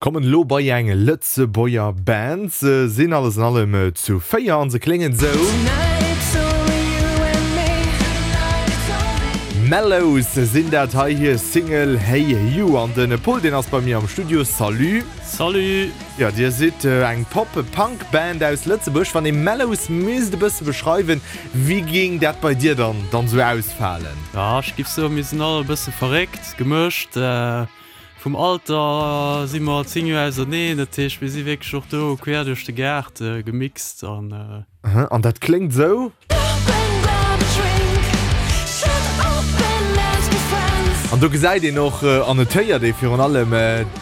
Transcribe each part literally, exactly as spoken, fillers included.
Kommen elo bei eng Lëtzebuerger Band. Se sinn alles an allem zu véier an se kléngen sou. Mellows sinn dat hei, hir Single Hey You. An de Paul deen ass bei mir am Studio. Salut. Salut. Jo, dir sidd eng Pop-Punk Band aus Lëtzebuerg. Wann ee Mellows misst e bësse beschreiwen, wéi géing dat bei dir dann dann sou ausfalen? Jo, ech giff soen, mir sinn all e bësse verréckt, gemëscht. Vum Alter si mer zéng Joer auserneen, dat heescht mir si wierklech och do quer duerch de Gaart gemixt an. Aha, an dat kléngt esou. An do gesäit een och an et héiert ee virun allem,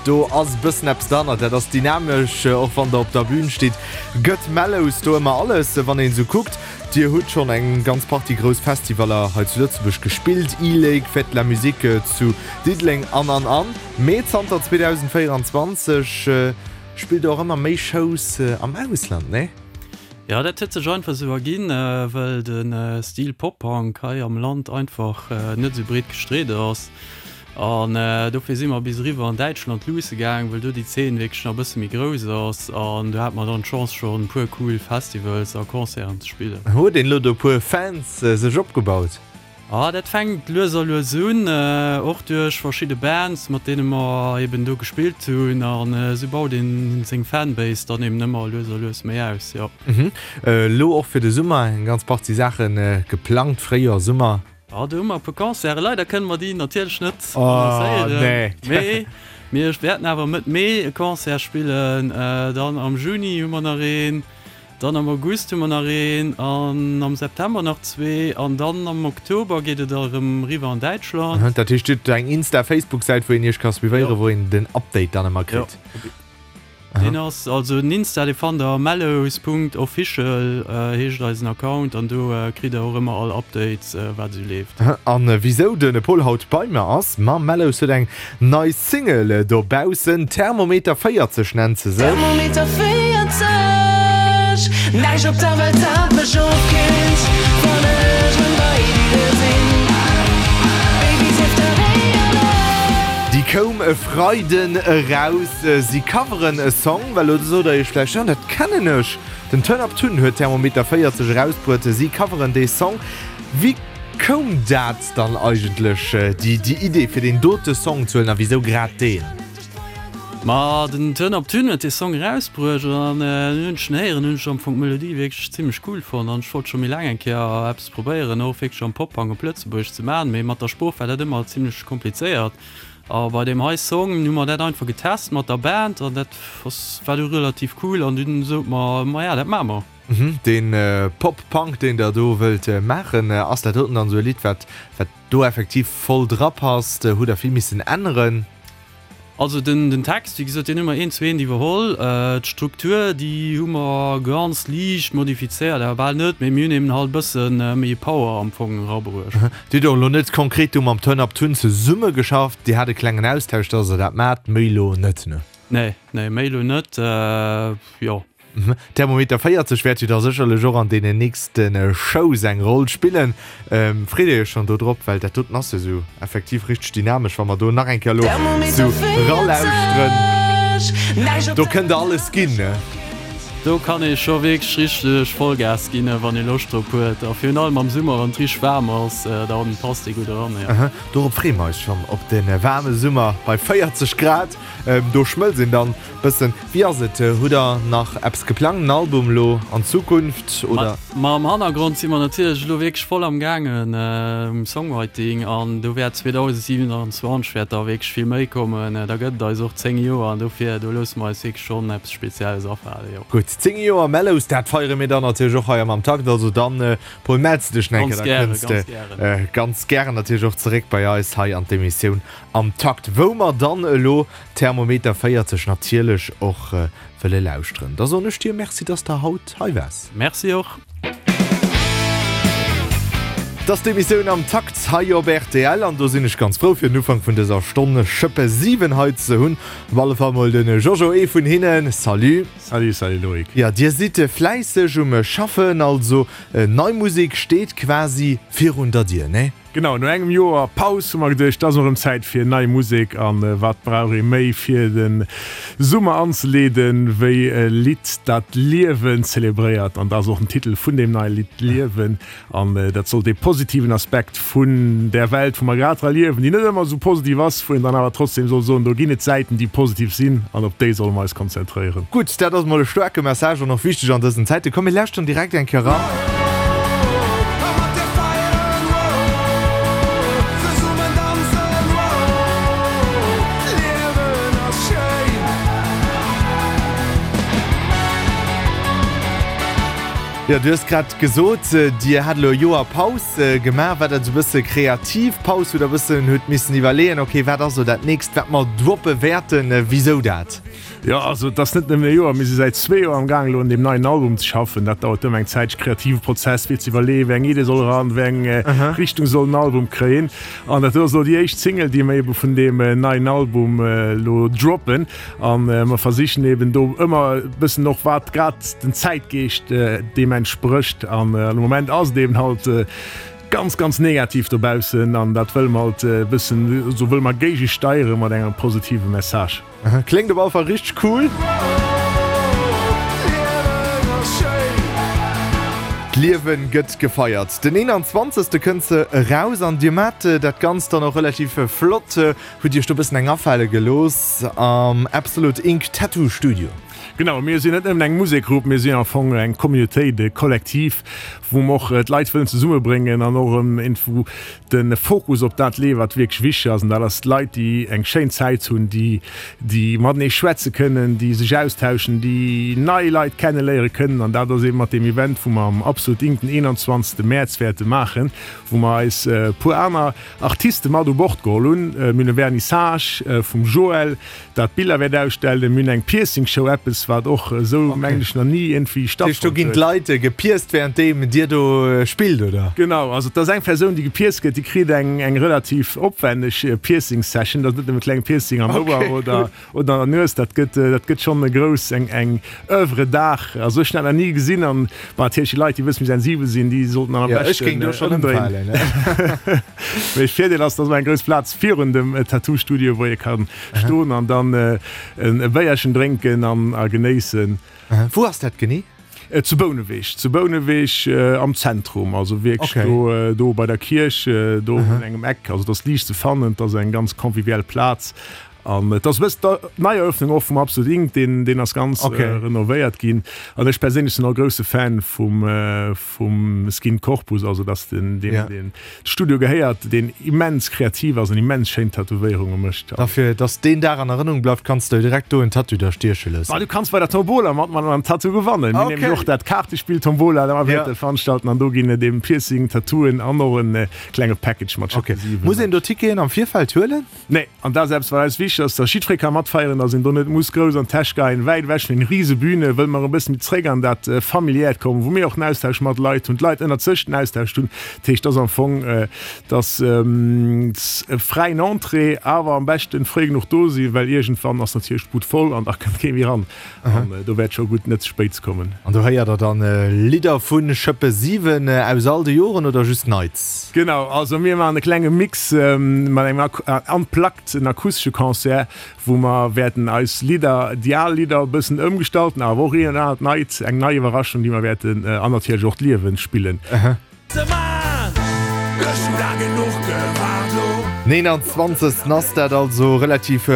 do ass e bëssen eppes derhannert, dat ass dynamesch, och wann der op der Bün stitt, gëtt Mellows do ëmmer alles, wann een esou kuckt. Dir hutt schonn eng ganz Partie grouss Festivaller hei zu Lëtzebuerg gespillt, E-Lake, Fête de la Musique zu Diddeleng an an an. Mee zanter zweedausendvéierundzwanzeg spillt der och ëmmer méi Shows am Ausland, nee? Jo, dat huet sech einfach esou erginn, well de Stil Pop-Punk hei am Land einfach net esou breet gestreet ass. An dofir si mer bis eriwwer an Däitschland luusse gaang, well do déi Zeen wierklech nach e bësse méi grouss ass. An do hate mer dann d'Chance schonn e puer cool Festivals a Concerten ze spillen. Huet een elo do e puer Fans sech opgebaut? Ah, dat fänkt lues a lues un, och duerch verschidde Bands, mat deene mer eben do gespillt hunn. An esou baut een seng Fanbase dann eben ëmmer lues a lues méi aus, jo. Elo och fir de Summer eng ganz Partie Saache geplangt, Fréijoer, Summer? Ah, do hu mer e puer Concerten. Leider kënne mer déi natierlech net annoncéieren, mee mir wäerten awer Mëtt Mee e Concert spillen. Dann am Juni hu mer nach een, dann am August hu mer nach een an am September nach zwee an dann am Oktober geet et erëm eriwwer an Däitschland. Dat heescht, Dir hutt eng Insta-, Facebook-Säit, wou een Iech ka suivéieren, wou een den Update dann ëmmer kritt? Jo. Deen ass also den Insta, dee fannt der mellows Punkt official heescht eisen Account an do kritt der och ëmmer all Updates wat esou leeft. An wisou de Paul haut bei mer ass? Ma Mellows huet eng nei Single dobaussen, Thermometer véierzeg nennt se sech. Thermometer véierzeg, näischt op der Welt dat mech ofkillt, wann ech rëm bei dir sinn, Baby sief der éierlech. Déi koum e Freiden eraus. Si coveren e Song, well elo sot der iech vläicht, jo dat kennen ech, den Turn Up Tun huet Thermometer véierzeg erausbruet, si coveren dee Song. Wéi koum dat dann eigentlech, déi Idee fir deen dote Song ze huelen a wisou grad deen? Ma den Turn Up Tun huet dee Song erausbruecht an dunn hunn ech en héieren, hunn ech am Fong d'Melodie wierklech zimmlech cool fonnt an ech wollt scho méi laang eng Kéier eppes probéieren, och wierklech am Pop-Punk op Lëtzebuergesch ze maachen, mee mat der Sprooch war dat ëmmer zimmlech komplizéiert. A bei deem hei Song hu mer dat einfach getest mat der Band an dat ass war du relativ cool an dunn sot mer, maja dat maache mer. Dee Pop-Punk deen der do wëllt maachen, ass dat doten dann esou e Lidd wat wat do effektiv voll dra passt? Hutt der vill missen änneren? Also den den Text, wéi gesot, deen hu mer eent zu eent iwwerholl. D'Struktur, déi hu mer ganz liicht modifizéiert, awer bal net, mee mir hunn eben halt e bësse méi Power am Fong erabruecht. Dir hutt och elo net konkret do mam Turn Up Tun zesummegeschafft, Dir hat e klengen Austausch, dass Der dat maacht, méi elo net, ne? Nee, nee, méi elo net, jo. Thermometer véierzeg wäert jo da sécherlech och an deenen nächste Shows eng Roll spillen. Freet Dir Iech schonn do drop? Well dat doten ass jo esou effektiv richteg dynamesch, wa mer do nach eng Kéier elo sou ralauschteren. Do kënnt der alles ginn, ne? Do kann ee scho wierklech richteg Vollgas ginn, wann ee Loscht drop huet. A virun allem am Summer, wann et richteg waarm ass, da passt dee gutt eran, jo. Dorop freeë mer eis schonn, op de waarme Summer bei véierzeg Grad. Do schmëlzt een dann bëssen. Wéi ass et, hutt der nach eppes geplangt, en Album elo an Zukunft oder? Ma am Hannergrond si mer natierlech elo wierklech voll am gaangen um Songwriting an do wäert zweedausendsiewenundzwanzeg wäert da wierklech vill méi kommen. Da gëtt et eis och zéng Joer an dofir do loosse mer eis wierklech schonn eppes Spezielles afalen, jo. Gutt, zéng Joer Mellows, dat feiere mir dann natierlech och hei am Am Takt. Also dann, Paul, mells de dech nach eng Kéier, da kënns de ganz gären natierlech och zeréck bei eis hei an d'Emissioun Am Takt, wou mer dann elo Thermometer véierzeg natierlech och wëlle lauschteren. Da soen ech dir Merci, dass de haut hei waars. Merci och. Et ass d'Emissioun Am Takt hei op rtl an do sinn ech ganz frou fir den Ufank vun dëser Stonn Schëppe siwen hei ze hunn. Op alle Fall mol de Jojo, ee vun hinnen. Salut. Salut, salut Loïc. Jo, dir sidd fläisseg um Schaffen, also nei Musek steet quasi virun der Dier, nee? Genau, no engem Joer Paus hu mer geduecht, et ass erëm Zäit fir nei Musek. An wat brauch ee méi fir de Summer anzeleeden, wéi e Lidd, dat d'Liewen zelebréiert. An dat ass och den Titel vun deem neie Lidd, Liewen. An dat soll dee positiven Aspekt vun där Welt, wou mer grad dra liewen, déi net ëmmer esou positiv ass, wou een dann awer trotzdem soll soen, do ginn et Säiten, déi positiv sinn an op déi solle mer eis konzentréieren. Gutt, dat ass mol e staarke Message an och wichteg an dësen Zäiten. Komm, mir lauschteren direkt eng Kéier eran. Jo, du hues grad gesot, Dir hat elo e Joer Paus gemaach. War dat esou e bësse kreativ Paus, wou Der e bëssen hutt missen iwwerleeën, okay, wat ass elo dat nächst, wat mer droppe wäerten? Wisou dat? Jo, also et ass net nëmmen e Joer, mir si säit zwee Joer am Gaang elo un deem neien Album ze schaffen. Dat dauert ëmmer eng Zäitche, kreative Prozess fir ze iwwerleeën, wéi eng Idee soll eran, wéi eng Richtung soll den Album kréien. An dat do ass elo déi éischt Single, déi mer ebe vun deem neien Album elo droppen. An mer versichen eben do ëmmer e bëssen och wat grad den Zäitgeescht deem entsprécht. An am Moment ass et eben halt ganz, ganz negativ dobaussen an dat wëlle mer halt e bëssen, do wëlle mer géigesteiere mat engem positive Message. Kléngt op alle Fall richteg cool. D'Liewen gëtt gefeiert. Den eenanzwanzegste kënnt se eraus an dir maacht dat Ganzt dann och relativ flott. Hutt Iech do bëssen eng afale gelooss am Absolute Ink Tattoo Studio? Genau, mir sinn net nëmmen eng Musekgrupp, mir sinn am Fong eng Communautéit, e Kollektiv, wou mer och d'Leit wëllen zesummebréngen an och erëm iergendwou de Fokus op dat leeën, wat wierklech wichteg ass, an dat ass d'Leit, déi eng schéin Zäit hunn, déi, déi matenee schwätze kënnen, déi sech austauschen, déi nei Leit kenneléiere kënnen. An dat ass eeben mat deem Event, wou mer am Absolut Ink den eenanzwanzegste Mäerz wäerte maachen, wou mer eis e puer aner Artiste mat u Bord geholl hunn. Mir hunn e Vernissage vum Joël, dat Biller wäert ausstellen. Mir hunn eng Piercing-Show, eppes, wat och esou, mengen ech, nach ni iergendwéi stattfonnt huet. Dat heescht, do ginn d'Leit gepierct, wärenddeem Dir do spillt, oder? Genau, also et ass eng Persoun, déi gepierct gëtt, déi kritt eng eng relativ opwänneg Piercing-Session. Dat ass net nëmme e klenge Piercing am Ouer oder oder an der Nues, dat gëtt dat gëtt schonn e grouss, eng eng Oeuvre d'art. Also ech hunn dat nach ni gesinn an bon, natierlech déi Leit, déi e bësse méi sensibel sinn, déi sollten dann am Jo, ech beschten géing do schonn ëmdréinen. ëmfalen, ne? Mee Virdeel ass, dass mer eng grouss Plaz virun dem Tattoo-Studio, wou ee ka stoen an dann e Béierchen drénken an a genéissen. Wou ass dat genee? Zu Bouneweg, zu Bouneweg am Zentrum, also wierklech do, do bei der Kierch, do un engem Eck. Also et ass liicht ze fannen, et ass eng ganz convivial Plaz an et ass e bëssen d'Neieröffnung och vum Absolut Ink, deen, deen ass ganz renovéiert ginn. An ech perséinlech sinn och e grousse Fan vum, vum Skin Corpus, also dat ass den, deem, deen de Studio gehéiert, deen immens kreativ ass an immens schéin Tätowéierunge mécht. A fir dass deen Dag an Erënnerung bleift, kanns de direkt do en Tattoo der stieche loossen. Ma du kanns bei der Tombola matman an en Tattoo gewannen. Mir nämlech och dat Kaartespill Tombola, dat mer wäerte veranstalten an do ginn et eben Piercing, Tattooen an och en klenge Package mat Schëppe siwen. Muss een do Ticketen am Virfeld huelen? Nee, an dat ass eppes wat eis wichteg ass, dass jiddweree ka matfeieren, dass een do net muss grouss an d'Täsch geien, wäit ewech vun den rise Bühne wëlle mer e bëssen méi zréck an dat familiäert kommen, wou mir och den Austausch mat Leit hunn, d'Leit ënnert sech den Austausch hunn. Dat heescht, dass am Fong dass e fräien Entrée, awer am beschten fréi genuch do sinn, well iergendwann ass natierlech d'Bud voll an da kënnt kee méi ran an do wäert scho gutt net ze spéit ze kommen. An do héiert der dann Lidder vu Schëppe siwen aus all de Joren oder just Neits? Genau, also mir maachen e klenge Mix mat engem Unplugged, en akustesche Concert, wou mer wäerten eis Lidder, déi al Lidder e bëssen ëmgestalten, awer och een oder anert neit, eng nei Iwwerraschung, déi mer wäerten an natierlech och d'Liewen spillen. neenanzwanzegsten ass dat also, relativ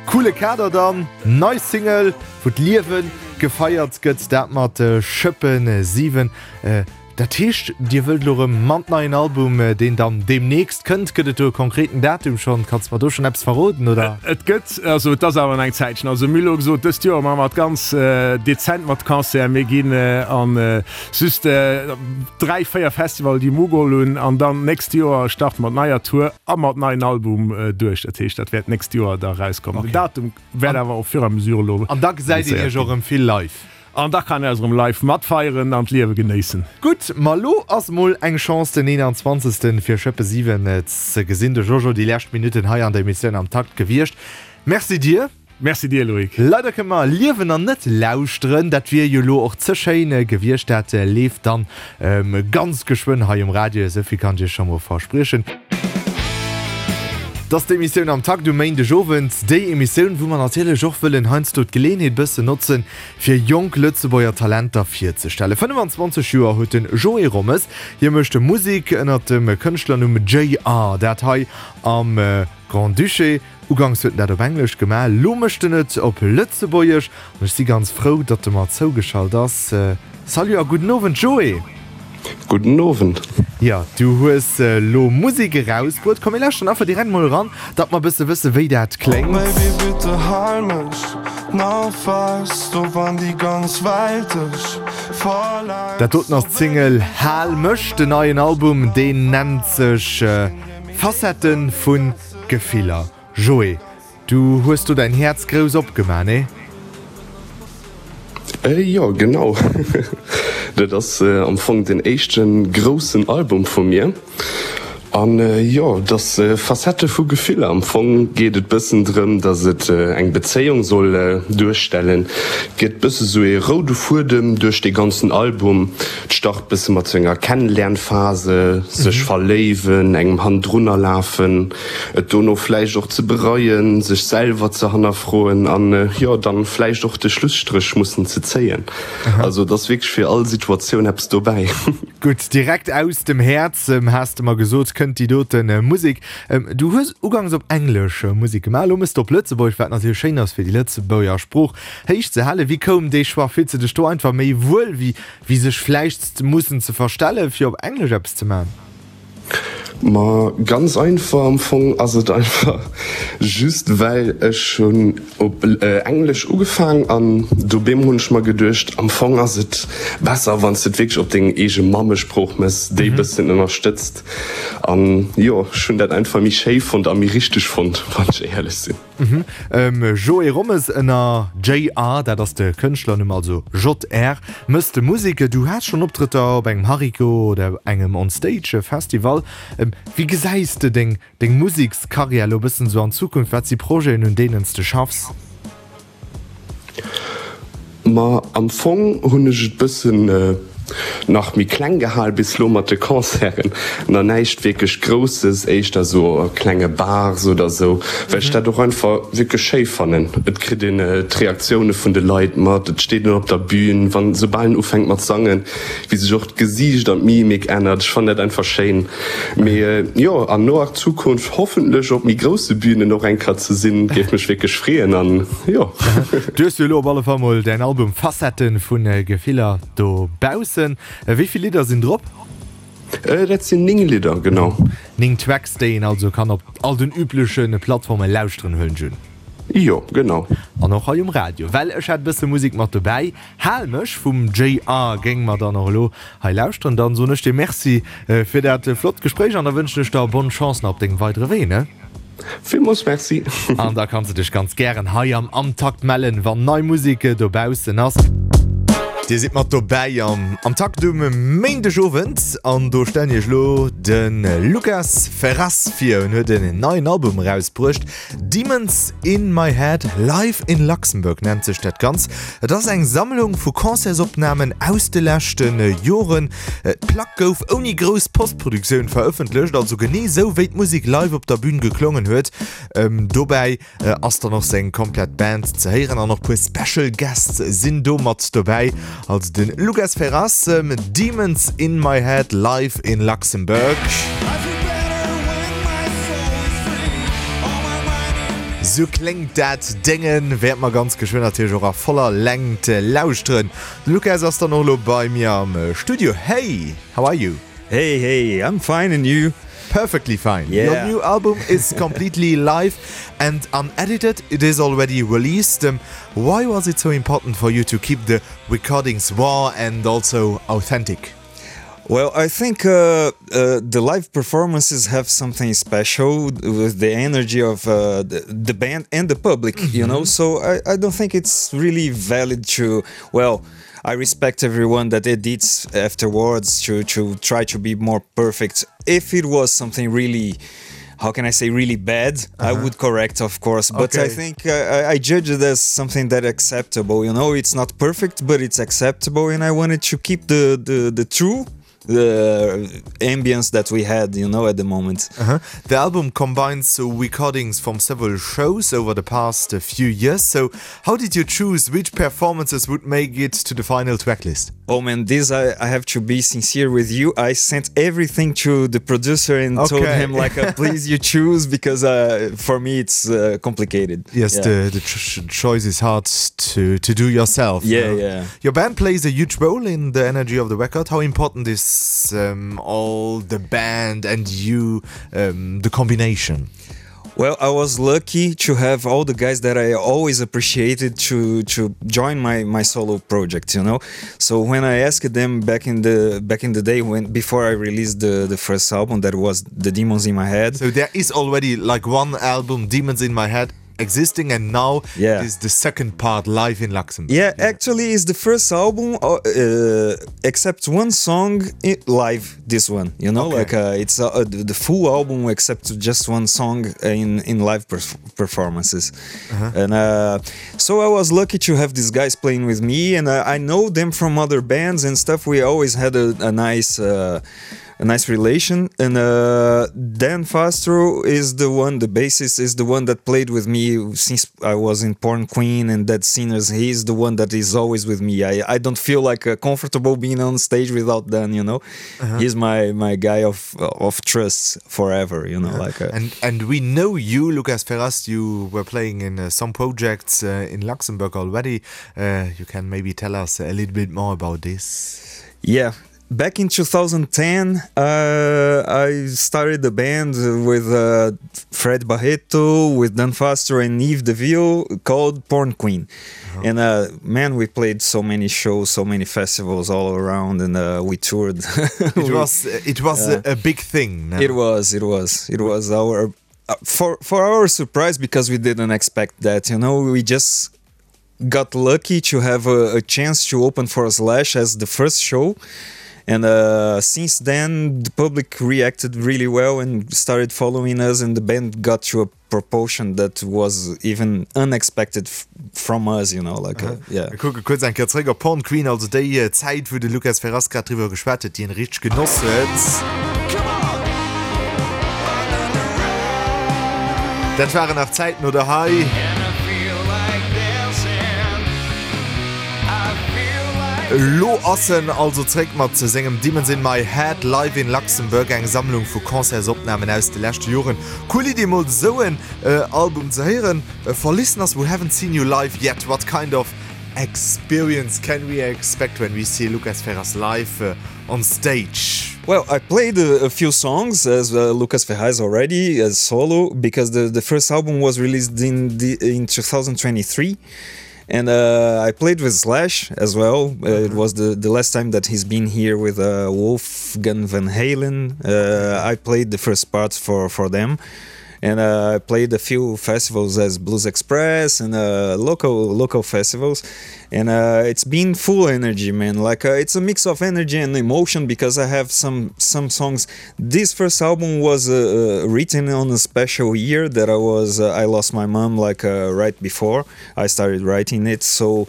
coole Kader dann, nei Single wou d'Liewe gefeiert gëtt, dat mat Schëppen siwen. Dat heescht Dir wëllt elo rëm mat neien Album deen dann deemnächst kënnt, gëtt et do e konkreten Datum schonn, kanns de mer do schonn eppes verroden oder? Et gëtt, also et ass awer nach eng Zäitchen, also mir hu elo gesot dëst Joer maache mer et ganz dezent mat Concert, mir ginn an just dräi, véier Festival déi mer ugeholl hunn an dann d'nächst Joer starte mer d'neier Tour a mat neien Album duerch. Dat heescht, dat wäert d'nächst Joer da erauskommen. Den Datum wäert awer au fur et à mesure elo An da gesäit een annoncéiert Iech och ginn. erëm vill live. An da kann een eis erëm live matfeieren an d'Liewe genéissen. Gutt, ma lo ass mol eng Chance den eenanzwanzegsten fir Schëppe siwen ze gesinn. De Jojo déi lescht Minutten hei an der Emissioun am Takt gewiescht. Merci dir. Merci dir, Loïc. Leider kënne mer liewen an net lauschteren, dat wier jo lo och ze schéin gewiescht. Dat leeft dann ganz geschwënn hei um Radio, esou vill kann ech iech scho mol verspriechen. 't ass d'Emissioun Am Takt um Méindegowend, déi Emissioun, wou mer natierlech och wëllen heiansdo d'Geleeënheet bëssen notzen, fir jonk Lëtzebuerger Talenter virzestellen. fënnefanzwanzeg Joer huet de Joé Rommes, hie mécht Musek ënnert dem Kënschtlernumm J R, dat hei am Grand-Duché. Uganks huet en dat op Englesch gemaach, lo mécht en et op Lëtzebuergesch an ech si ganz frou, datt e mer zougeschalt ass. Salut a gudden Owend, Joé! Gudden Owend. Jo, du hues lo Musek erausbruet. Komm mir lauschteren einfach direkt mol eran, datt mer e bësse wësse wéi dat kléngt. Dat doten ass d'Single Hal mech. Den neien Album, deen nennt sech Facettë vu Gefiller. Joé, du hues do däin Häerz grouss opgemaach, nee? Jo, genau. Dat ass am Fong den éischte groussen Album vu mir. An jo, et ass Facette vu Gefiller. Am Fong geet et bëssen drëm, datt et eng Bezéiung soll duerstellen. Et gëtt bësse sou ee roude Fuedem duerch dee ganzen Album. Et start bësse mat sou enger Kennenlernphase, sech verléiwen, engem hannendrunner lafen, et dono vläicht och ze bereien, sech selwer ze hannerfroen an jo, dann vläicht och de Schlusstréch mussen ze zéien. Also et ass wierklech fir all Situatioun eppes dobäi. Gutt, direkt aus dem Häerz, has de mer gesot, kënnt déi dote Musek. Du hues ugangs op Englesch Musek gemaach, elo mëss de op Lëtzebuergesch, wat natierlech schéin ass fir déi Lëtzebuerger Sprooch héich ze halen. Wéi koum dee Choix? Fills de dech do einfach méi wuel, wéi wéi sech vläicht mussen ze verstellen, fir op Englesch eppes ze maachen? Ma ganz einfach, am Fong ass et einfach just well ech hunn op Englesch ugefaang an dobäm hunn ech mer geduecht, am Fong ass et besser wann s de et wierklech op deng eege Mammesprooch mëss, déi bëssen ënnerstëtzt. An jo, ech hunn dat einfach méi schéi fonnt a méi richteg fonnt, wann ech éierlech sinn. Joé Rommes ënner J R, dat ass de Kënschtlernumm, also J R, mëss de Musek. Du has schonn Optrëtter op engem Hariko oder engem On Stage Festival. Wéi gesäis de deng deng Musekskarriär elo e bëssen esou an Zukunft? Wat si Projeten, un deenen s de schaffs? Ma am Fong hunn ech et bëssen nach méi kleng gehal bis lo mat de Concerten, na näischt wierklech Grousses, éischter sou a klenge Bars oder sou, well ech dat och einfach wierklech schéi fannen. Et kritt een d'Reaktioune vun de Leit mat, et steet een op der Bühn, wann soubal en ufänkt mat sangen, wéi sech och d'Gesiicht an d'Mimik ännert. Ech fannen dat einfach schéin. Mee jo, an noer Zukunft hoffentlech op méi grousse Bühnen och eng Kéier ze sinn, géif mech wierklech freeën an jo. Du hues jo elo op alle Fall mol däin Album Facetten vun Gefiller dobaussen. Wéi vill Lidder sinn drop? Dat sinn néng Lidder, genau. Néng Tracks, déi een also kann op all den übleche Plattforme lauschteren, huelen ech un. Jo, genau. An och hei um Radio, well ech hat e bësse Musek mat dobäi. Hal mech vum J R géinge mer dann och elo hei lauschteren. Dann soen ech dir Merci fir dat flott Gespréich an da wënschen ech der bonne Chance nach op dengem weidere Wee, ne? Villmools Merci. An da kanns de dech ganz gären hei am Am Takt mellen, wann nei Musek dobaussen ass. Dir sidd mat dobäi am Am Takt um Méindegowend an do stellen iech elo de Lucas Ferraz vir. En huet en neien Album erausbruecht, Demons in my head, Live in Luxembourg nennt sech dat Ganzt. Et ass eng Sammlung vu Concertsopnamen aus de leschte Joren. D'Plack gouf ouni grouss Postproduktioun verëffentlecht, also genee sou wéi d'Musek live op der Bün geklongen huet. Dobäi ass dann och seng komplett Band ze héieren an och puer Special Guests sinn do mat dobäi. Also de Lucas Ferraz, Demons in my head, live in Luxembourg. Sou kléngt dat Déngen, wäert mer ganz geschwënn natierlech och a voller Längt lauschteren. De Lucas ass dann och elo bei mir am Studio. Hey, how are you? Hey, hey, I'm fine and you? Perfectly fine. Yeah. Your new album is completely live and unedited. It is already released. Um, why was it so important for you to keep the recordings raw and also authentic? Well, I think uh, uh, the live performances have something special with the energy of uh, the, the band and the public, mm -hmm. you know. So I, I don't think it's really valid to, well, I respect everyone that edits afterwards to, to try to be more perfect. If it was something really, how can I say really bad, uh -huh. I would correct, of course. But okay. I think uh, I, I judge it as something that acceptable. You know, it's not perfect, but it's acceptable, and I wanted to keep the the, the true the ambience that we had you know at the moment uh -huh. the album combines recordings from several shows over the past few years so how did you choose which performances would make it to the final tracklist oh man this I, I have to be sincere with you I sent everything to the producer and okay. told him like uh, please you choose because uh, for me it's uh, complicated yes yeah. the, the ch choice is hard to to do yourself yeah uh, yeah your band plays a huge role in the energy of the record how important is um, all the band and you um, the combination Well, I was lucky to have all the guys that I always appreciated to to join my my solo project, you know. So when I asked them back in the back in the day when before I released the the first album that was The Demons in My Head. So there is already like one album Demons in My Head existing and now yeah. is the second part live in Luxembourg. Yeah, yeah. actually is the first album uh, uh, except one song live this one you know okay. like uh, it's uh, uh, the full album except just one song in in live perf performances uh -huh. and uh, so I was lucky to have these guys playing with me and I, I know them from other bands and stuff we always had a, a nice uh, a nice relation and uh, Dan Fastro is the one the bassist is the one that played with me since I was in Porn Queen and Dead Sinners he's the one that is always with me I, I don't feel like uh, comfortable being on stage without Dan you know uh -huh. he's my my guy of of trust forever you know uh -huh. like uh, and and we know you Lucas Ferraz you were playing in uh, some projects uh, in Luxembourg already uh, you can maybe tell us a little bit more about this yeah back in two thousand ten uh, I started the band with uh, Fred Barreto with Dan Foster and Yves DeVille called Porn Queen uh -huh. and uh, man we played so many shows so many festivals all around and uh, we toured it was it was uh, a, a big thing no? it was it was it was our uh, for for our surprise because we didn't expect that you know we just got lucky to have a, a chance to open for a slash as the first show and and uh, since then the public reacted really well and started following us and the band got to a proportion that was even unexpected from us you know like uh, yeah. Mir kucke kuerz eng Kéier zréck op Porn Queen, also déi Zäit wou de Lucas Ferraz grad driwwer geschwat huet, déi en richteg genoss huet. Dat waren nach Zäiten, oder hei? Elo ass en also zréck mat sengem Demons in My Head live in Luxembourg, eng Sammlung vu Concertsopnamen aus de leschte Joren. Cool Idee mol esou en Album ze héieren. For listeners who haven't seen you live yet, what kind of experience can we expect when we see Lucas Ferraz live on stage? Well, I played a, a few songs as uh, Lucas Ferraz already as solo because the, the first album was released in the, in two thousand twenty-three. And uh, I played with Slash as well. Uh, it was the, the last time that he's been here with uh, Wolfgang Van Halen. Uh, I played the first part for, for them. And uh, I played a few festivals as Blues Express and uh, local local festivals. And uh, it's been full energy, man. Like uh, it's a mix of energy and emotion because I have some, some songs. This first album was, uh, uh, written on a special year that I was, uh, I lost my mom like, uh, right before I started writing it. So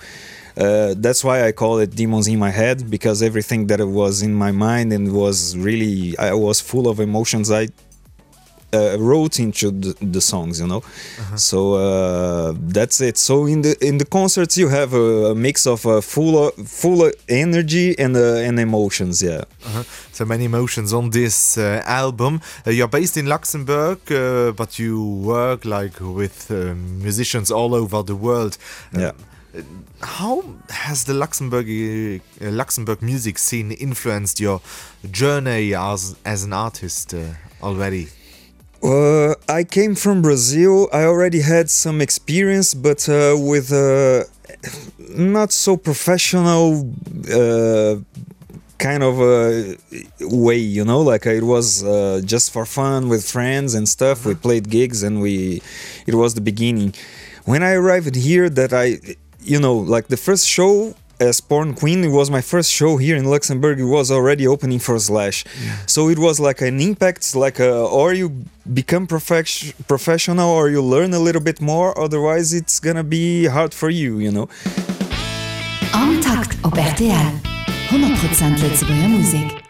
uh, that's why I call it Demons in My Head, because everything that was in my mind and was really, I was full of emotions. I Uh, wrote into the, the songs, you know. Uh-huh. So uh, that's it. So in the in the concerts you have a, a mix of uh, full full energy and uh, and emotions, yeah. Uh-huh. So many emotions on this uh, album. Uh, you're based in Luxembourg, uh, but you work like with uh, musicians all over the world. Um, yeah. How has the Luxembourg, uh, Luxembourg music scene influenced your journey as as an artist uh, already? Uh, I came from Brazil. I already had some experience, but uh, with uh, not so professional uh, kind of a way, you know, like it was uh, just for fun with friends and stuff. We played gigs and we, it was the beginning. When I arrived here, that I, you know, like the first show as Porn Queen. It was my first show here in Luxembourg. It was already opening for Slash, so it was like an impact, like a, or you become profec- professional or you learn a little bit more. Otherwise, it's gonna be hard for you, you know. Am Takt op RTL. honnert Prozent Lëtzebuerger Musek.